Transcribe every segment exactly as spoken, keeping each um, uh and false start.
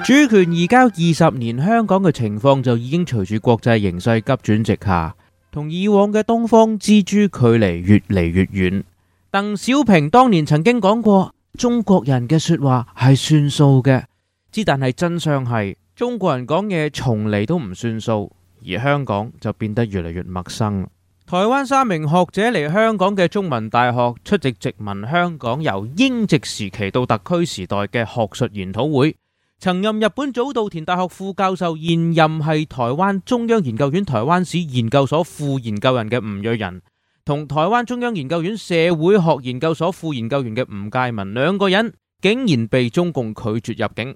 主權移交二十年，香港嘅情況就已經隨住國際形勢急轉直下，同以往嘅東方之珠距離越嚟越遠。鄧小平當年曾經講過，中國人嘅說話係算數嘅，之但係真相係中國人講嘢從嚟都唔算數，而香港就變得越嚟越陌生。台灣三名學者嚟香港嘅中文大學出席殖民香港由英殖時期到特區時代嘅學術研討會。曾任日本早稻田大學副教授，現任係台灣中央研究院台灣史研究所副研究人嘅吳瑞仁，同台灣中央研究院社會學研究所副研究員嘅吳介民，兩個人竟然被中共拒絕入境。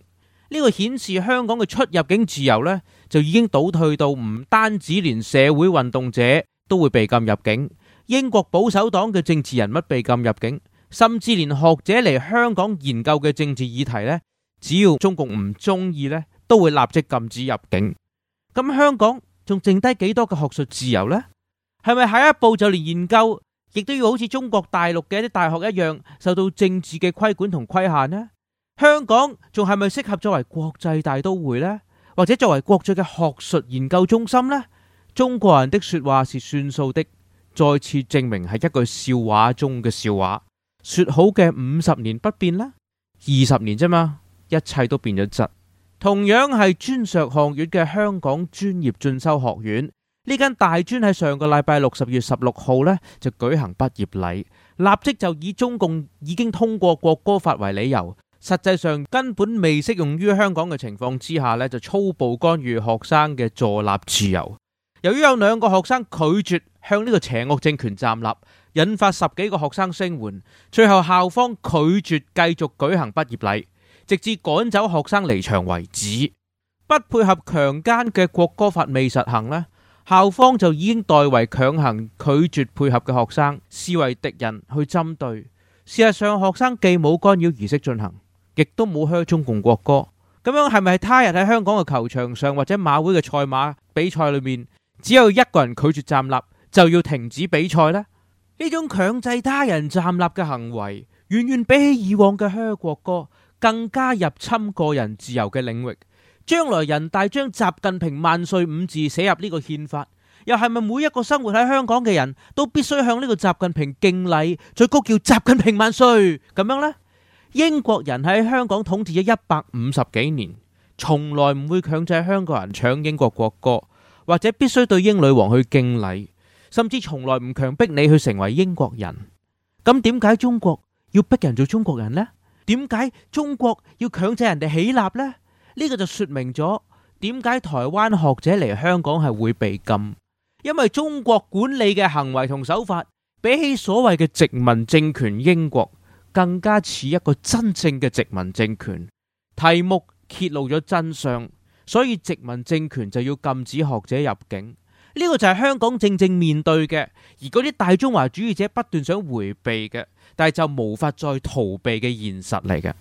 呢個顯示香港嘅出入境自由呢，就已經倒退到唔單止連社會運動者都會被禁入境，英國保守黨嘅政治人物被禁入境，甚至連學者嚟香港研究嘅政治議題呢，只要中共唔中意呢，都會立即禁止入境。咁香港仲剩低幾多嘅學術自由呢？係咪下一步就連研究亦都要好似中國大陸嘅一啲大學一樣，受到政治嘅規管同規限呢？香港仲係咪適合作為國際大都會呢？或者作為國際嘅學術研究中心呢？中國人的說話是算數的，再次證明係一句笑話中嘅笑話。說好嘅五十年不變啦，二十年啫嘛，一切都變咗質。同樣係專碩學院嘅香港專業進修學院，呢間大專喺上個禮拜六十月十六號呢就舉行畢業禮，立即就以中共已經通過國歌法為理由，實際上根本未適用於香港嘅情況之下呢就粗暴干預學生嘅坐立自由。由於有兩個學生拒絕向呢個邪惡政權站立，引發十幾個學生聲援，最後校方拒絕繼續舉行畢業禮，直至趕走學生離場為止。不配合強姦嘅國歌法未實行呢，校方就已經代為強行拒絕配合嘅學生，視為敵人去針對。事實上，學生既冇干擾儀式進行，亦都冇噓中共國歌。咁樣係咪他日喺香港嘅球場上或者馬會嘅賽馬比賽裏面，只有一個人拒絕站立就要停止比賽呢？呢種強制他人站立嘅行為，遠遠比起以往嘅噓國歌更加入侵個人自由嘅領域。將來人大將習近平萬歲五字寫入呢個憲法，又係咪每一個生活喺香港嘅人都必須向呢個習近平敬禮，再高叫習近平萬歲咁樣呢？英國人喺香港統治咗一百五十幾年，從來唔會強制香港人唱英國國歌，或者必須對英女王去敬禮，甚至從來唔強迫你去成為英國人。咁點解中國要逼人做中國人呢？點解中國要強制人哋起立呢？呢個就說明咗點解台灣學者嚟香港係會被禁，因為中國管理嘅行為同手法，比起所謂嘅殖民政權英國，更加似一個真正嘅殖民政權。題目揭露咗真相，所以殖民政權就要禁止學者入境。呢個就係香港正正面對嘅，而嗰啲大中華主義者不斷想回避嘅，但係就無法再逃避嘅現實嚟嘅。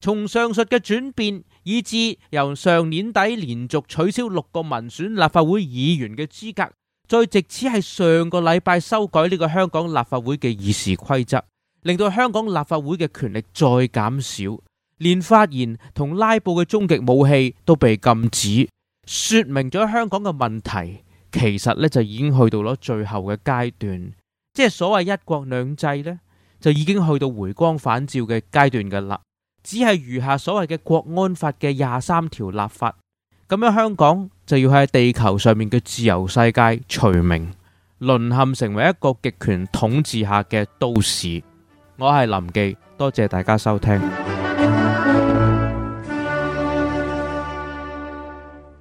從上述嘅轉變，以至由上年底連續取消六個民選立法會議員嘅資格，再直至係上個禮拜修改呢個香港立法會嘅議事規則，令到香港立法會嘅權力再減少，連發言同拉布嘅終極武器都被禁止，說明咗香港嘅問題其實咧就已經去到咗最後嘅階段，即係所謂一國兩制呢，就已經去到回光返照嘅階段噶啦，只係餘下所謂嘅國安法嘅廿三條立法，咁樣香港就要喺地球上面嘅自由世界除名，淪陷成為一個極權統治下嘅都市。我係林記，多謝大家收聽。